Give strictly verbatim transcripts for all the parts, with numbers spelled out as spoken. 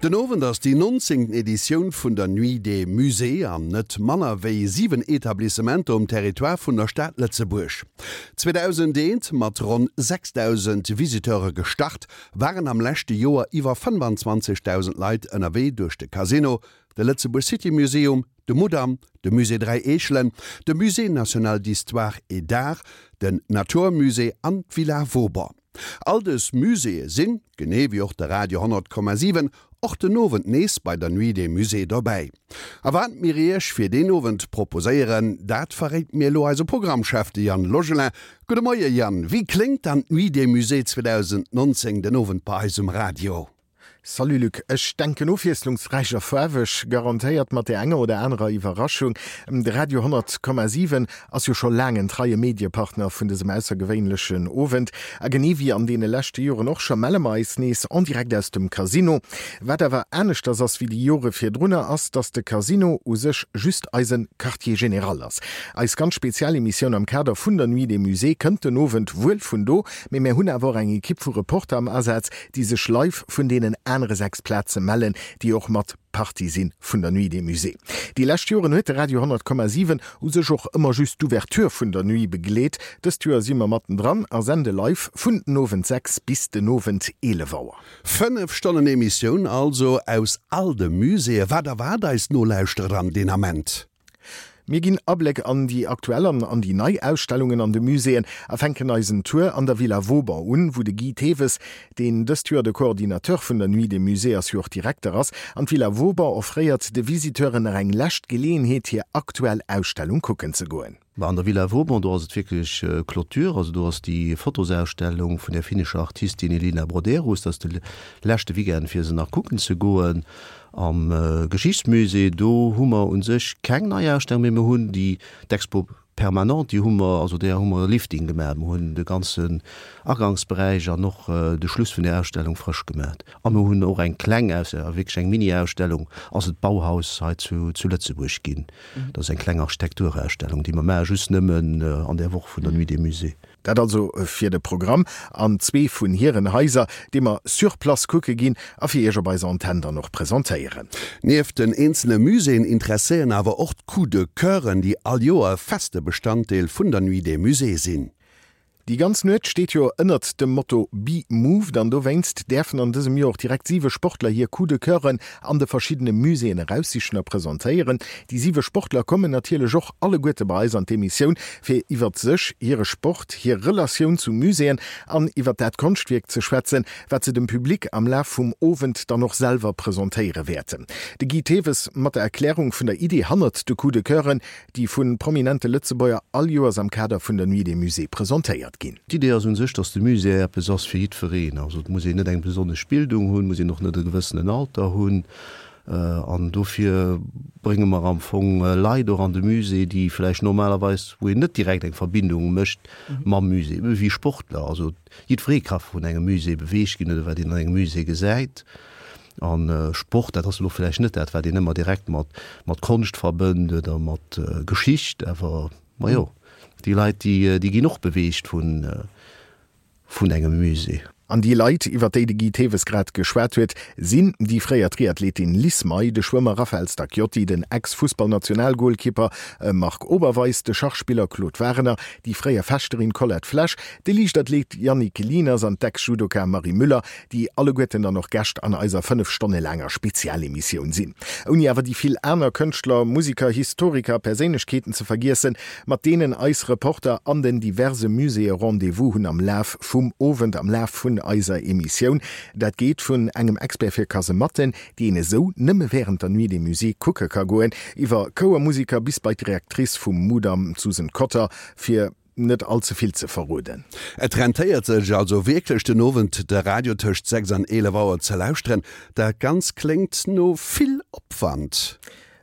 Den Owend ass déi nonzéngten Editioun vun der Nuit des Musées an net manner wéi siwen Etablissementer um Territoire vun der Stad Lëtzebuerg. zweedausendeent mat ronn sechsdausend Visiteure gestart, waren am leschte Joer iwwer fënnefanzwanzegdausend Leit ënnerwee duerch de Casino, de Lëtzebuerg City Museum, de Mudam, de Musée Dräi Eechelen, de Musée national d'histoire et d'art, den Natur Musée an d'Villa Vauban. All dës Muséeë sinn, genee wéi och de Radio honnert Komma siwen, och den Owend nees bei der Nuit des Musées dobäi. A wat mir Iech fir deen Owend proposéieren, dat verréit mir elo eise Programmchef, de Yann Logelin. Gudde Moie Yann, wéi kléngt dann d'Nuit des Musées zweedausendnonzéng den Owend bei eis um Radio? Salut Luc, ech denken ofwiesslungsräich a faarweg, garantéiert mat där enger oder anerer Iwwerraschung. De Radio honnert Komma siwen ass jo scho laang en treie Mediepartner vun dësem aussergewéinlechen Owend. A genee wéi an deene leschte Joren och scho melle mer eis nees en direct aus dem Casino. Wat awer aneschters ass wéi déi Jore virdrunner, ass, dass de Casino u sech just eise Quartier général ass. Eis ganz spezial Emissioun am Kader vun der Nuit des Musées kënnt den Owend wuel vun do, mee mär hunn awer och eng Ekipp vu Reporter am Asaz, déi sech live vun deenen anere sechs Plaze mellen, déi och mat Partie si vun der Nuit des Musées. Déi lescht Joren huet de Radio honnert Komma siwen u sech och ëmmer just d'Ouverture vun der Nuit begleet. Dëst Joer si mer mattendran a sende live vun den Owend sechs bis den Owend eelef Auer. Fënnef Stonnen Emissioun also aus all de Muséeë. Wat erwaart eis Nolauschterer dann deen Ament? Mir ginn Abléck an déi aktuell an an déi nei Ausstellungen an de Muséeën a fänken eisen Tour an der Villa Vauban un, wou de Guy Thewes, deen dëst Joer de Coordinateur vun der Nuit des Musées ass, jo och Direkter ass. An d'Villa Vauban offréiert de Visiteuren nach eng lescht Geleeënheet, hir aktuell Ausstellung kucken ze goen. An der Villa Vauban, do ass et wierklech Clôture, also do ass déi Fotosausstellung vun der finnescher Artistin Elina Brotherus, dat ass de leschte Weekend fir se nach kucken ze goen. Am Geschichtsmusée, do hu mer u sech keng nei Ausstellung, mee mer hunn déi d'Expo permanente, déi hu mer, also där hu mer e Lifting gemaach. Mer hunn de ganzen Agangsberäich an och de Schluss vun där Ausstellung frësch gemaach. A mer hunn och eng kleng Ausstellung, wierklech eng Mini-Ausstellung, ass et d'Bauhaus hei zu zu Lëtzebuerg ginn. Dat ass eng kleng Architekturausstellung, déi mer maache just nëmmen an där Woch vun der Nuit des Musées. Dat also fir de Programm an zwee vun hiren Haiser, dee mer sur place kucke ginn a fir Iech op eiser Antenn dann och presentéieren. Nieft den eenzele Muséeën interesséieren awer och d'Coups de Coeuren, déi all Joer e feste Bestanddeel vun der Nuit des Musées sinn. Déi ganz Nuet steet jo ënnert dem Motto Be Moved an dowéinst däerfen an dësem Joer och direkt siwe Sportler hir Coups de Coeuren an de verschiddene Muséeën eraussichen a presentéieren. Déi siwe Sportler kommen natierlech och alleguerte bei eis an d'Emissioun, fir iwwert sech, hire Sport, hir Relatioun zu Muséeën an iwwert dat Konschtwierk ze schwätzen, wat se dem Public am Laf vum Owend dann och selwer presentéiere wäerten. De Guy Thewes mat der Erklärung vun der Idee hannert de Coups de Coeuren, déi vu prominente Lëtzebuerger all Joers am Kader vun der Nuit des Musées presentéiert ginn. D'Idee ass un sech, dass de Musée eppes ass fir jiddwereen. Also et muss een net eng besonnesch Bildung hunn, muss een och net e gewëssenen Alter hunn. An dofir brénge mer am Fong Leit och an de Musée, déi vläicht normalerweis, wou een net direkt eng Verbindung mécht mam Musée, ebe wéi Sportler. Also jiddweree ka vun engem Musée beweegt ginn oder wat een an engem Musée gesäit. A Sport, dat ass elo vläicht net dat, wat een ëmmer direkt mat mat Konscht verbënnt oder mat Geschicht, awer majo, déi Leit, déi déi ginn och beweegt vun vun engem Musée. An déi Leit, iwwer déi de Guy Thewes grad geschwat huet, sinn déi fréier Triathletin Liz May, de Schwëmmer Raphael Stacchiotti, den Ex-Fussballnationalgoalkeeper Marc Oberweis, de Schachspiller Claude Wagener, déi fréier Fechterin Colette Flesch, de Liichtathlet Yannick Lieners an d'Ex-Judoka Marie Müller, déi alleguerten dann och Gäscht an eiser fënnef Stonne laanger Spezialemissioun sinn. Ouni awer déi vill aner Kënschtler, Musiker, Historiker a Perséinlechkeeten ze vergiessen, mat deenen eis Reporter an den diverse Muséeë Rendez-vous hunn am Laf vum Owend, am Laf vun eiser Emissioun. Dat geet vun engem Expert fir Kasematten, déi een esou nëmme wärend der Nuit des Musées kucke ka goen, iwwer Chouermusiker bis bei d'Directrice vum Mudam, d'Susan Cotter, fir net all ze vill ze verroden. Et rentéiert sech also wierklech den Owend de Radio tëscht sechs an eelef Auer ze lauschteren. Dat Ganzt kléngt no vill Opwand.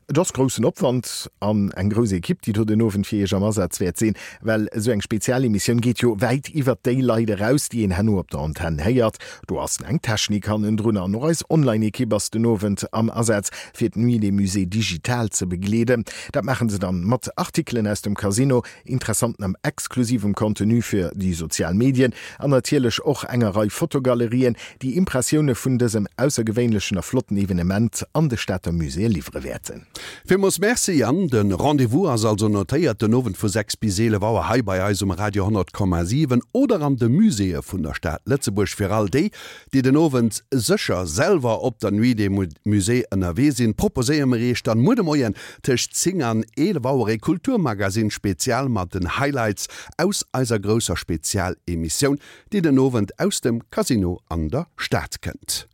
Et ass groussen Opwand an eng grouss Ekipp, déi do den Owend fir Iech am Asaz wäert sinn, well esou eng Spezialemissioun geet jo wäit iwwert déi Leit eraus, déi een herno op der Antenn héiert. Do ass eng Technik hannendrun an och eis Online-Ekipp ass den Owend am Asaz, fir d'Nuit des Musées digital ze begleeden. Dat maachen se dann mat Artikelen aus dem Casino, interessanten an exklusivem Contenu fir déi sozial Medien an natierlech och enger Rei Fotogalerien, déi Impressioune vun dësem aussergewéinlechen a flotten Evenement an de Stater Muséeë liwwere wäerten. Villmools Merci Yann. De Rendez-vous ass also notéiert, den Owend vu sechs bis eelef Auer hei bei eis um Radio honnert Komma siwen oder an de Muséeë vun der Stad Lëtzebuerg. Fir all déi, déi den Owend sécher selwer op der Nuit des Musées ënnerwee sinn, proposéiere mer iech dann muer de Moien tëscht zéng an eelef Auer ee Kulturmagazine Spezial mat den Highlights aus eiser grousser Spezialemissioun, déi den Owend aus dem Casino an der Stad kënnt.